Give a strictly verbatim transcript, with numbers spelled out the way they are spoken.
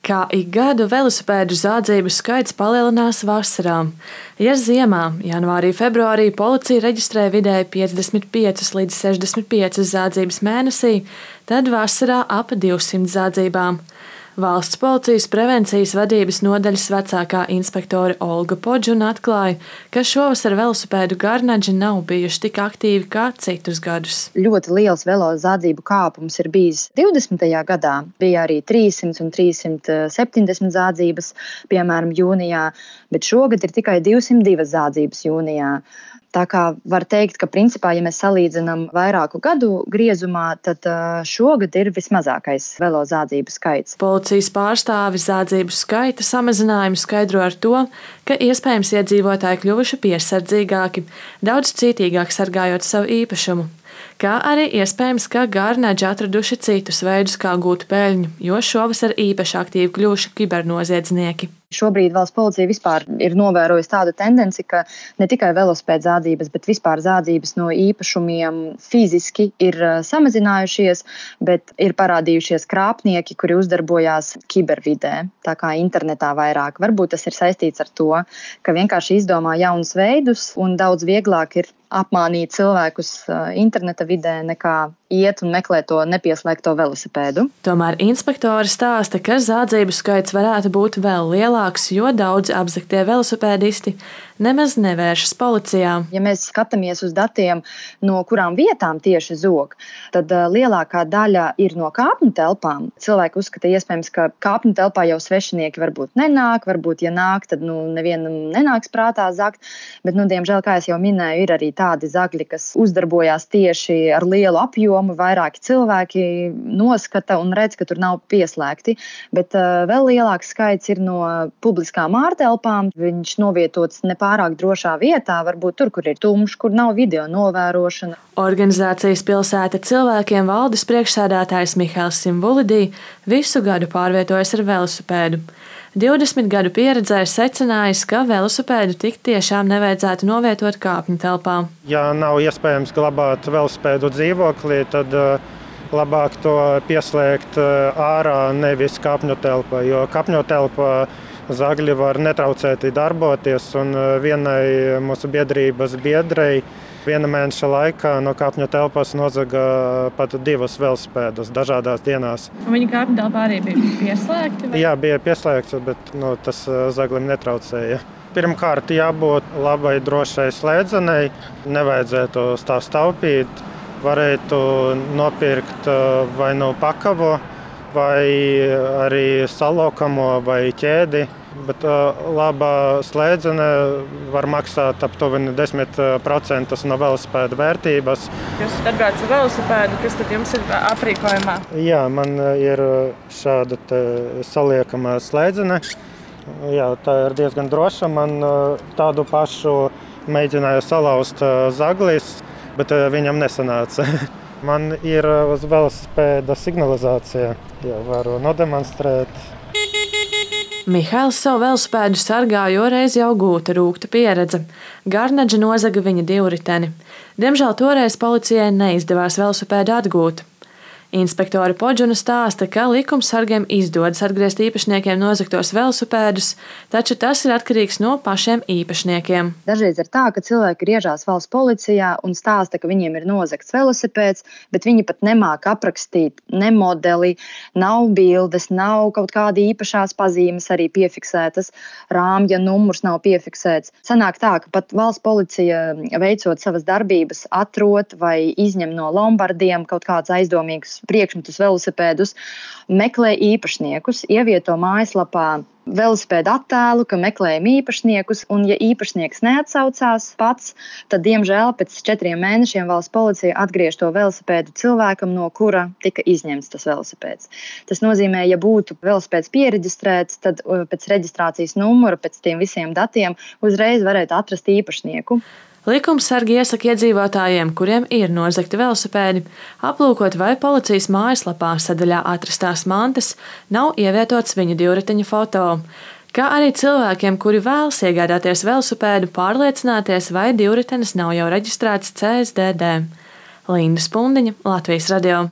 Kā ik gadu velosipēdu zādzību skaits palielinās vasarā. Ja ziemā, janvārī, februārī policija reģistrē vidēji piecdesmit piecas līdz sešdesmit piecas zādzības mēnesī, tad vasarā ap divsimt zādzībām. Valsts policijas prevencijas vadības nodaļas vecākā inspektore Olga Podžuna atklāja, ka šovasar velosipēdu garnaģi nav bijuši tik aktīvi kā citus gadus. Ļoti liels velo zādzību kāpums ir bijis divdesmitajā gadā. Bija arī trīssimt un trīssimt septiņdesmit zādzības, piemēram, jūnijā, bet šogad ir tikai divsimt divas zādzības jūnijā. Tā kā var teikt, ka principā, ja mēs salīdzinām vairāku gadu griezumā, tad šogad ir vismazākais velo zādzību skaits. Policijas pārstāvis zādzību skaita samazinājumu skaidro ar to, ka iespējams iedzīvotāji kļuvuši piesardzīgāki, daudz cītīgāk sargājot savu īpašumu. Kā arī iespējams, ka garnaģi atraduši citus veidus, kā gūt peļņu, jo šovasar īpaši aktīvi kļuvuši kibernoziedznieki. Šobrīd valsts policija vispār ir novērojusi tādu tendenci, ka ne tikai velosipēdu zādzības, bet vispār zādzības no īpašumiem fiziski ir samazinājušies, bet ir parādījušies krāpnieki, kuri uzdarbojās kibervidē, tā kā internetā vairāk. Varbūt tas ir saistīts ar to, ka vienkārši izdomā jaunus veidus un daudz vieglāk ir apmānīt cilvēkus interneta vidē nekā iet un meklēt to nepieslēgto velosipēdu. Tomēr inspektori stāsta, ka zādzību skaits varētu būt vēl lielāks, jo daudzi apzagtie velosipēdisti nemaz nevēršas policijā. Ja mēs skatāmies uz datiem, no kurām vietām tieši zog, tad lielākā daļa ir no kāpņu telpām. Cilvēki uzskata iespējams, ka kāpņu telpā jau svešinieki varbūt nenāk, varbūt ja nāk, tad nu, nevienam nenāks prātā zagt, bet, nu, diemžēl, kā es jau minēju, ir arī tādi zagļi, kas uzdarbojās tieši ar lielu apjomu, vairāki cilvēki noskata un redz, ka tur nav pieslēgti, bet uh, vēl lielāks skaits ir no publiskām ārtelpām. Viņš novietots nepārāk drošā vietā, varbūt tur, kur ir tumšs, kur nav video novērošana. Organizācijas Pilsēta cilvēkiem valdes priekšsēdētājs Mihails Simvulidī visu gadu pārvietojas ar velosipēdu. divdesmit gadu pieredzē secinājis, ka velosipēdu tik tiešām nevajadzētu novietot kāpņu telpā. Ja nav iespējams glabāt velosipēdu dzīvoklī, tad labāk to pieslēgt ārā, nevis kāpņu telpā, jo kāpņu telpā zagļi var netraucēti darboties, un vienai mūsu biedrības biedrei viena mēneša laikā no kāpņu telpas nozaga pat divas velosipēdus dažādās dienās. Viņa kāpņu telpā arī bija pieslēgta? Vai? Jā, bija pieslēgts, bet nu, tas zaglim netraucēja. Pirmkārt, jābūt labai drošai slēdzenei, nevajadzētu tā staupīt. Varētu nopirkt vai no pakavo, vai arī salokamo vai ķēdi. Bet uh, laba slēdzene var maksāt aptuveni desmit procenti no velosipēda vērtības. Jūs atbraucat ar velosipēdu, kas tad jums ir aprīkojumā? Jā, man ir šāda saliekamā slēdzene. Jā, tā ir diezgan droša. Man tādu pašu mēģināja salauzt zaglis, bet viņam nesanāca. Man ir uz velosipēda signalizācija. Jā, varu nodemonstrēt. Mihails savu velosipēdu sargā, jo reiz jau gūta rūgta pieredze. Garnaģi nozaga viņa divriteni. Diemžēl toreiz policijai neizdevās velosipēdu atgūt. Inspektore Podžuna stāsta, ka likumsargiem izdodas atgriezt īpašniekiem nozagtos velosipēdus, taču tas ir atkarīgs no pašiem īpašniekiem. Dažreiz ir tā, ka cilvēki griežās valsts policijā un stāsta, ka viņiem ir nozagts velosipēds, bet viņi pat nemāk aprakstīt ne modeli, nav bildes, nav kaut kādi īpašās pazīmes arī piefiksētas, rāmja numurs nav piefiksēts. Sanāk tā, ka pat valsts policija veicot savas darbības atrod vai izņem no lombardiem kaut kāds aizdomīgs priekšmetus velosipēdus, meklē īpašniekus, ievieto mājaslapā velosipēdu attēlu, ka meklējam īpašniekus, un ja īpašnieks neatsaucās pats, tad, diemžēl, pēc četriem mēnešiem valsts policija atgriež to velosipēdu cilvēkam, no kura tika izņemts tas velosipēds. Tas nozīmē, ja būtu velosipēds piereģistrēts, tad pēc reģistrācijas numura, pēc tiem visiem datiem, uzreiz varētu atrast īpašnieku. Likumsargi iesaka iedzīvotājiem, kuriem ir nozagti velosipēdi, aplūkot, vai policijas mājaslapā sadaļā atrastās mantas nav ievietots viņu divriteņa foto, kā arī cilvēkiem, kuri vēlas iegādāties velosipēdu, pārliecināties, vai divritenis nav jau reģistrēts C S D D. Linda Spundiņa, Latvijas radio.